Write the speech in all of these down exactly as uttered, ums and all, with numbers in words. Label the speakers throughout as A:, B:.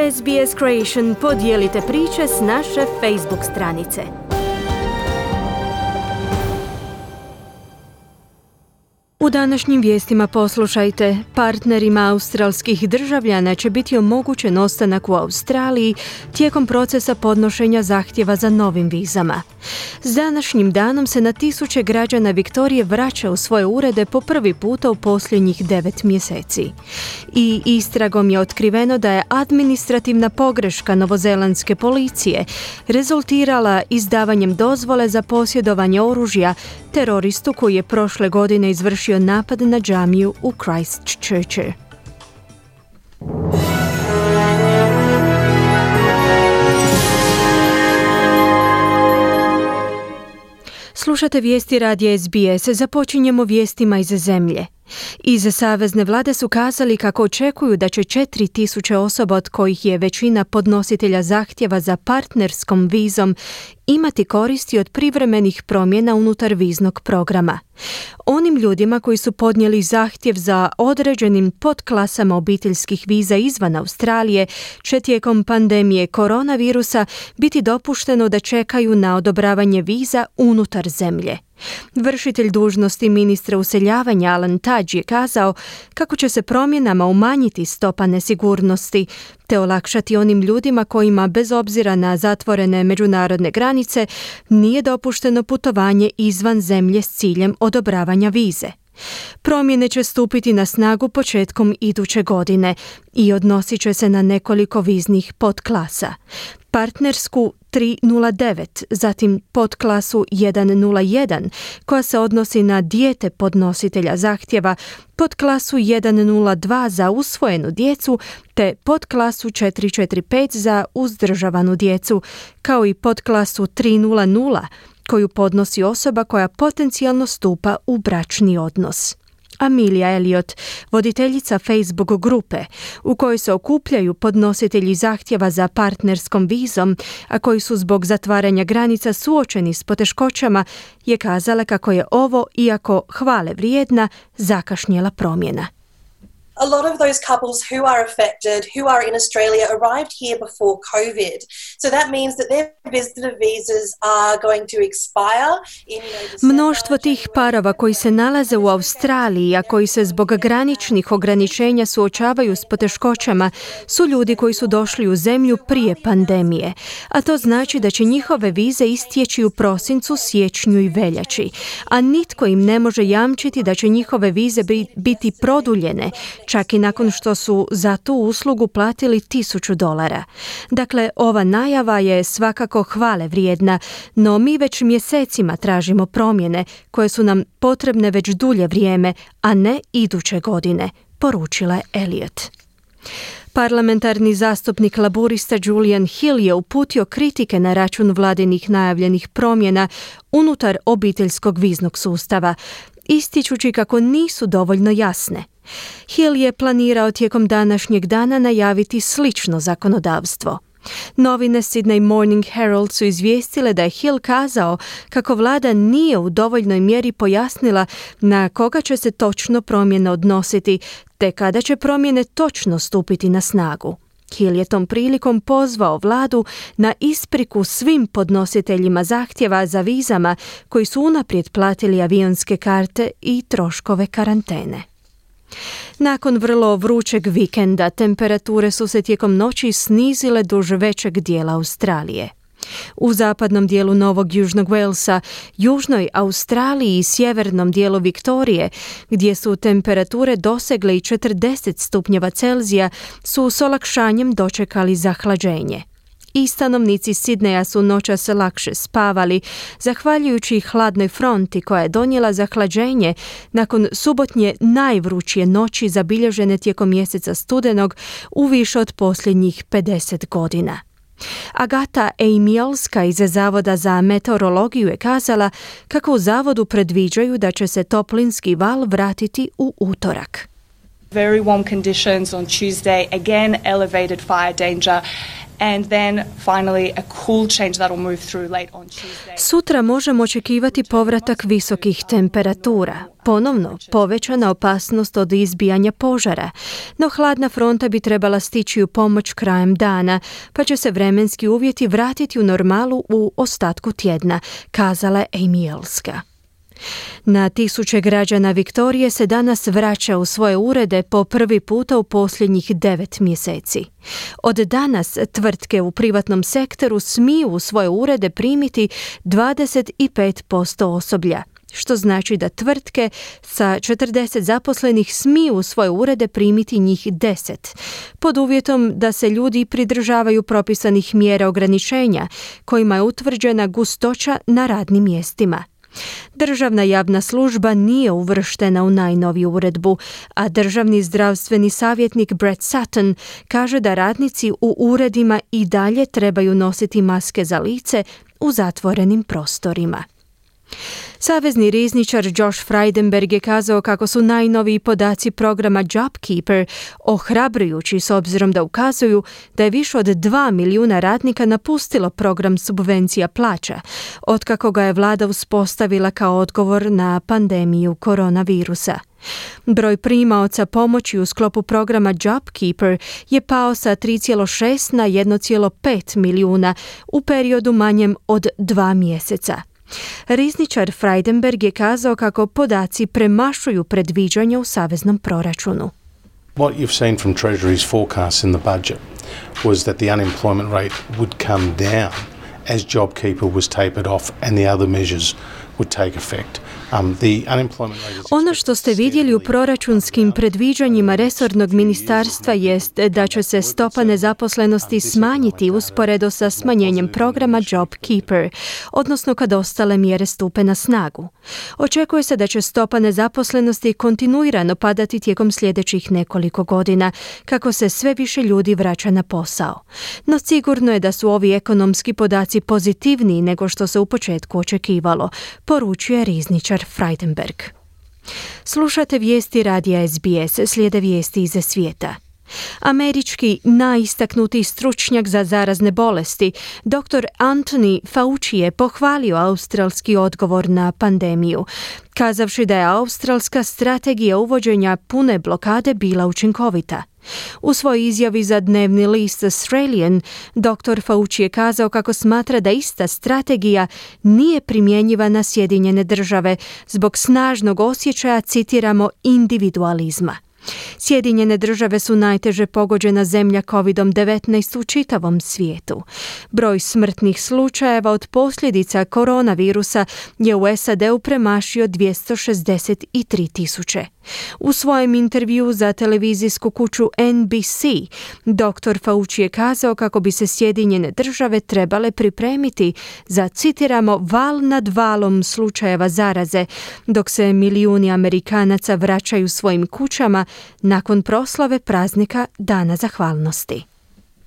A: S B S Creation podijelite priče s naše Facebook stranice. U današnjim vijestima poslušajte, partnerima australskih državljana će biti omogućen ostanak u Australiji tijekom procesa podnošenja zahtjeva za novim vizama. S današnjim danom se na tisuće građana Viktorije vraća u svoje urede po prvi puta u posljednjih devet mjeseci. I istragom je otkriveno da je administrativna pogreška novozelandske policije rezultirala izdavanjem dozvole za posjedovanje oružja teroristu koji je prošle godine izvršio napad na džamiju u Christchurchu. Slušate vijesti radija S B S. Započinjemo vijestima iz zemlje. Iz savezne vlade su kazali kako očekuju da će četiri tisuće osoba, od kojih je većina podnositelja zahtjeva za partnerskom vizom, imati koristi od privremenih promjena unutar viznog programa. Onim ljudima koji su podnijeli zahtjev za određenim podklasama obiteljskih viza izvan Australije će tijekom pandemije koronavirusa biti dopušteno da čekaju na odobravanje viza unutar zemlje. Vršitelj dužnosti ministra useljavanja Alan Tudge je kazao kako će se promjenama umanjiti stopa nesigurnosti te olakšati onim ljudima kojima, bez obzira na zatvorene međunarodne granice, nije dopušteno putovanje izvan zemlje s ciljem odobravanja vize. Promjene će stupiti na snagu početkom iduće godine i odnosit će se na nekoliko viznih podklasa. Partnersku tri nula devet, zatim podklasu jedan nula jedan koja se odnosi na dijete podnositelja zahtjeva, podklasu jedan nula dva za usvojenu djecu te podklasu četiri četiri pet za uzdržavanu djecu, kao i podklasu tri nula nula koju podnosi osoba koja potencijalno stupa u bračni odnos. Amelia Elliot, voditeljica Facebook grupe u kojoj se okupljaju podnositelji zahtjeva za partnerskom vizom, a koji su zbog zatvaranja granica suočeni s poteškoćama, je kazala kako je ovo, iako hvale vrijedna, zakašnjela promjena.
B: A lot of those couples who are affected, who are in Australia, arrived here before COVID. So that means that their visitor visas are going to expire in, you know, December.
A: Mnoštvo tih parova koji se nalaze u Australiji, a koji se zbog graničnih ograničenja suočavaju s poteškoćama, su ljudi koji su došli u zemlju prije pandemije. A to znači da će njihove vize istječi u prosincu, siječnju i veljači. A nitko im ne može jamčiti da će njihove vize biti produljene, čak i nakon što su za tu uslugu platili tisuću dolara. Dakle, ova najava je svakako hvale vrijedna, no mi već mjesecima tražimo promjene koje su nam potrebne već dulje vrijeme, a ne iduće godine, poručila je Elliot. Parlamentarni zastupnik laburista Julian Hill je uputio kritike na račun vladinih najavljenih promjena unutar obiteljskog viznog sustava, ističući kako nisu dovoljno jasne. Hill je planirao tijekom današnjeg dana najaviti slično zakonodavstvo. Novine Sydney Morning Herald su izvijestile da je Hill kazao kako vlada nije u dovoljnoj mjeri pojasnila na koga će se točno promjene odnositi, te kada će promjene točno stupiti na snagu. Hill je tom prilikom pozvao vladu na ispriku svim podnositeljima zahtjeva za vizama koji su unaprijed platili avionske karte i troškove karantene. Nakon vrlo vrućeg vikenda, temperature su se tijekom noći snizile duž većeg dijela Australije. U zapadnom dijelu Novog Južnog Walesa, južnoj Australiji i sjevernom dijelu Viktorije, gdje su temperature dosegle i četrdeset stupnjeva Celzija, su s olakšanjem dočekali zahlađenje. I stanovnici Sidneja su noćas lakše spavali, zahvaljujući hladnoj fronti koja je donijela zahlađenje nakon subotnje najvrućije noći zabilježene tijekom mjeseca studenog u više od posljednjih pedeset godina. Agata Ejmiolska iz Zavoda za meteorologiju je kazala kako u zavodu predviđaju da će se toplinski val vratiti u utorak.
C: Very warm conditions on Tuesday, again elevated fire danger. and then finally a cool change that will move through late on Tuesday.
A: Sutra možemo očekivati povratak visokih temperatura. Ponovno povećana opasnost od izbijanja požara, no hladna fronta bi trebala stići u pomoć krajem dana, pa će se vremenski uvjeti vratiti u normalu u ostatku tjedna, kazala je Amy Elska. Na tisuće građana Viktorije se danas vraća u svoje urede po prvi puta u posljednjih devet mjeseci. Od danas tvrtke u privatnom sektoru smiju u svoje urede primiti dvadeset pet posto osoblja, što znači da tvrtke sa četrdeset zaposlenih smiju u svoje urede primiti njih deset, pod uvjetom da se ljudi pridržavaju propisanih mjera ograničenja kojima je utvrđena gustoća na radnim mjestima. Državna javna služba nije uvrštena u najnoviju uredbu, a državni zdravstveni savjetnik Brett Sutton kaže da radnici u uredima i dalje trebaju nositi maske za lice u zatvorenim prostorima. Savezni rizničar Josh Frydenberg je kazao kako su najnoviji podaci programa JobKeeper ohrabrujući s obzirom da ukazuju da je više od dva milijuna radnika napustilo program subvencija plaća, otkako ga je vlada uspostavila kao odgovor na pandemiju koronavirusa. Broj primaoca pomoći u sklopu programa JobKeeper je pao sa tri zarez šest na jedan zarez pet milijuna u periodu manjem od dva mjeseca. Rizničar Frydenberg je kazao kako podaci premašuju predviđanja u saveznom proračunu.
D: What you've seen from Treasury's forecasts in the budget was that the unemployment rate would come down as JobKeeper was tapered off and the other measures would take effect. Um, the unemployment rate is
A: Ono što ste vidjeli u proračunskim predviđanjima resornog ministarstva jest da će se stopa nezaposlenosti smanjiti usporedo sa smanjenjem programa JobKeeper, odnosno kad ostale mjere stupe na snagu. Očekuje se da će stopa nezaposlenosti kontinuirano padati tijekom sljedećih nekoliko godina, kako se sve više ljudi vraća na posao. No sigurno je da su ovi ekonomski podaci pozitivniji nego što se u početku očekivalo, poručuje rizničar Frydenberg. Slušate vijesti radija S B S, slijede vijesti iz svijeta. Američki najistaknutiji stručnjak za zarazne bolesti, doktor Anthony Fauci je pohvalio australski odgovor na pandemiju, kazavši da je australska strategija uvođenja pune blokade bila učinkovita. U svojoj izjavi za dnevni list Australian, doktor Fauci je kazao kako smatra da ista strategija nije primjenjiva na Sjedinjene države zbog snažnog osjećaja, citiramo, individualizma. Sjedinjene države su najteže pogođena zemlja kovid devetnaest u čitavom svijetu. Broj smrtnih slučajeva od posljedica koronavirusa je u S A D-u premašio dvjesto šezdeset tri tisuće. U svojem intervjuu za televizijsku kuću N B C, doktor Fauci je kazao kako bi se Sjedinjene države trebale pripremiti za, citiramo, val nad valom slučajeva zaraze, dok se milijuni Amerikanaca vraćaju svojim kućama nakon proslave praznika Dana zahvalnosti.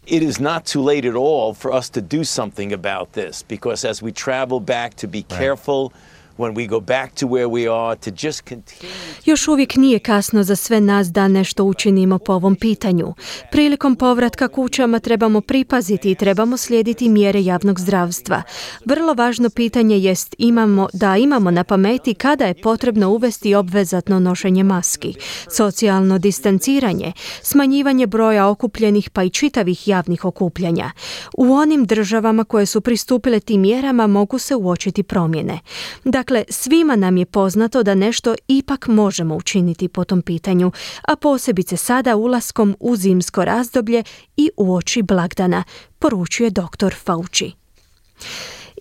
E: It is not too late at all for us to do something about this, because as we travel back to be careful, when we go back to where we are, to just continue.
A: Još uvijek nije kasno za sve nas da nešto učinimo po ovom pitanju. Prilikom povratka kućama trebamo pripaziti i trebamo slijediti mjere javnog zdravstva. Vrlo važno pitanje jest imamo, da imamo na pameti kada je potrebno uvesti obvezatno nošenje maski, socijalno distanciranje, smanjivanje broja okupljenih pa i čitavih javnih okupljanja. U onim državama koje su pristupile tim mjerama mogu se uočiti promjene. Dakle, Dakle, svima nam je poznato da nešto ipak možemo učiniti po tom pitanju, a posebice sada ulaskom u zimsko razdoblje i uoči blagdana, poručuje doktor Fauci.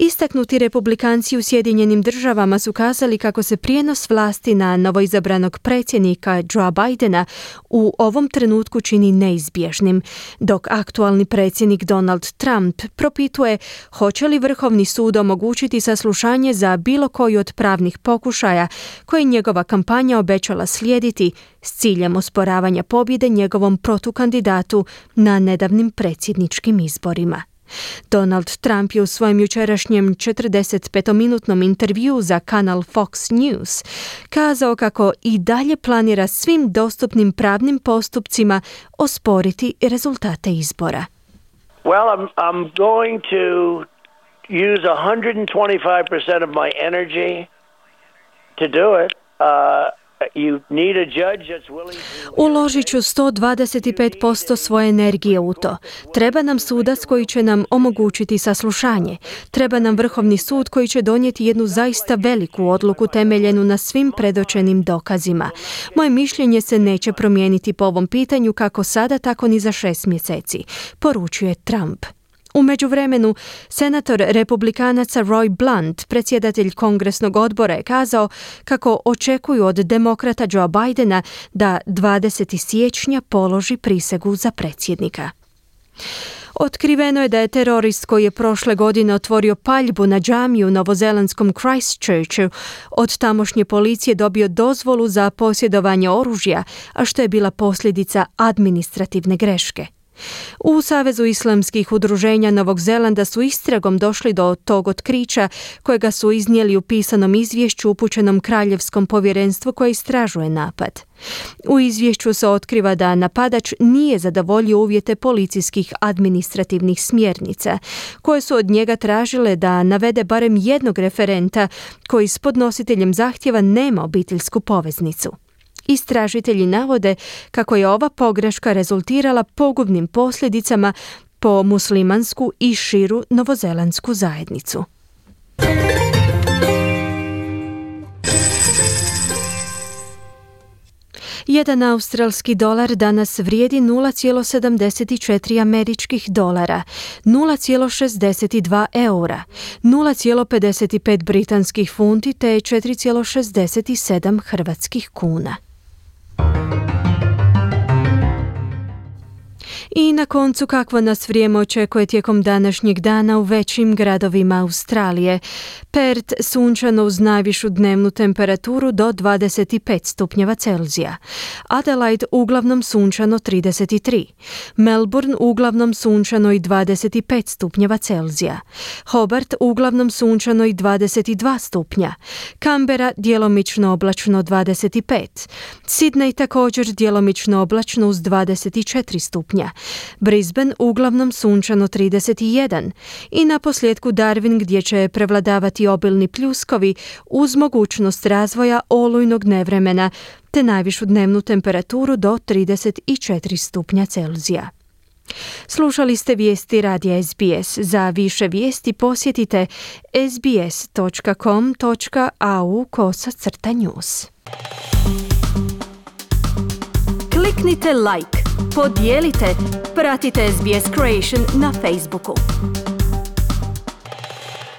A: Istaknuti republikanci u Sjedinjenim državama su kazali kako se prijenos vlasti na novoizabranog predsjednika Joea Bidena u ovom trenutku čini neizbježnim, dok aktualni predsjednik Donald Trump propituje hoće li Vrhovni sud omogućiti saslušanje za bilo koji od pravnih pokušaja koje njegova kampanja obećala slijediti s ciljem osporavanja pobjede njegovom protukandidatu na nedavnim predsjedničkim izborima. Donald Trump je u svojem jučerašnjem četrdesetpetominutnom intervjuu za kanal Fox News kazao kako i dalje planira svim dostupnim pravnim postupcima osporiti rezultate izbora.
F: Well, I'm I'm going to use one hundred twenty-five percent of my energy to do it. Uh, you need a judge that's willing to...
A: Uložit ću sto dvadeset pet posto svoje energije u to. Treba nam sudac koji će nam omogućiti saslušanje. Treba nam Vrhovni sud koji će donijeti jednu zaista veliku odluku temeljenu na svim predočenim dokazima. Moje mišljenje se neće promijeniti po ovom pitanju kako sada, tako ni za šest mjeseci, poručuje Trump. U međuvremenu, senator republikanaca Roy Blunt, predsjedatelj kongresnog odbora, je kazao kako očekuju od demokrata Joe Bidena da dvadesetog siječnja položi prisegu za predsjednika. Otkriveno je da je terorist koji je prošle godine otvorio paljbu na džamiju u novozelandskom Christchurchu od tamošnje policije dobio dozvolu za posjedovanje oružja, a što je bila posljedica administrativne greške. U Savezu islamskih udruženja Novog Zelanda su istragom došli do tog otkrića kojega su iznijeli u pisanom izvješću upućenom Kraljevskom povjerenstvu koje istražuje napad. U izvješću se otkriva da napadač nije zadovoljio uvjete policijskih administrativnih smjernica, koje su od njega tražile da navede barem jednog referenta koji s podnositeljem zahtjeva nema obiteljsku poveznicu. Istražitelji navode kako je ova pogreška rezultirala pogubnim posljedicama po muslimansku i širu novozelandsku zajednicu. Jedan australski dolar danas vrijedi nula zarez sedamdeset četiri američkih dolara, nula zarez šezdeset dva eura, nula zarez pedeset pet britanskih funti te četiri zarez šezdeset sedam hrvatskih kuna. I na koncu kakvo nas vrijeme očekuje tijekom današnjeg dana u većim gradovima Australije. Perth sunčano uz najvišu dnevnu temperaturu do dvadeset pet stupnjeva Celzija. Adelaide uglavnom sunčano trideset tri. Melbourne uglavnom sunčano i dvadeset pet stupnjeva Celzija. Hobart uglavnom sunčano i dvadeset dva stupnja. Canberra djelomično oblačno dvadeset pet. Sydney također djelomično oblačno uz dvadeset četiri stupnja. Brisbane uglavnom sunčano trideset jedan i na posljedku Darwin gdje će prevladavati obilni pljuskovi uz mogućnost razvoja olujnog nevremena te najvišu dnevnu temperaturu do trideset četiri stupnja Celzija. Slušali ste vijesti radija S B S. Za više vijesti posjetite sbs.com.au kosa news. Kliknite like, podijelite, pratite S B S Creation na Facebooku.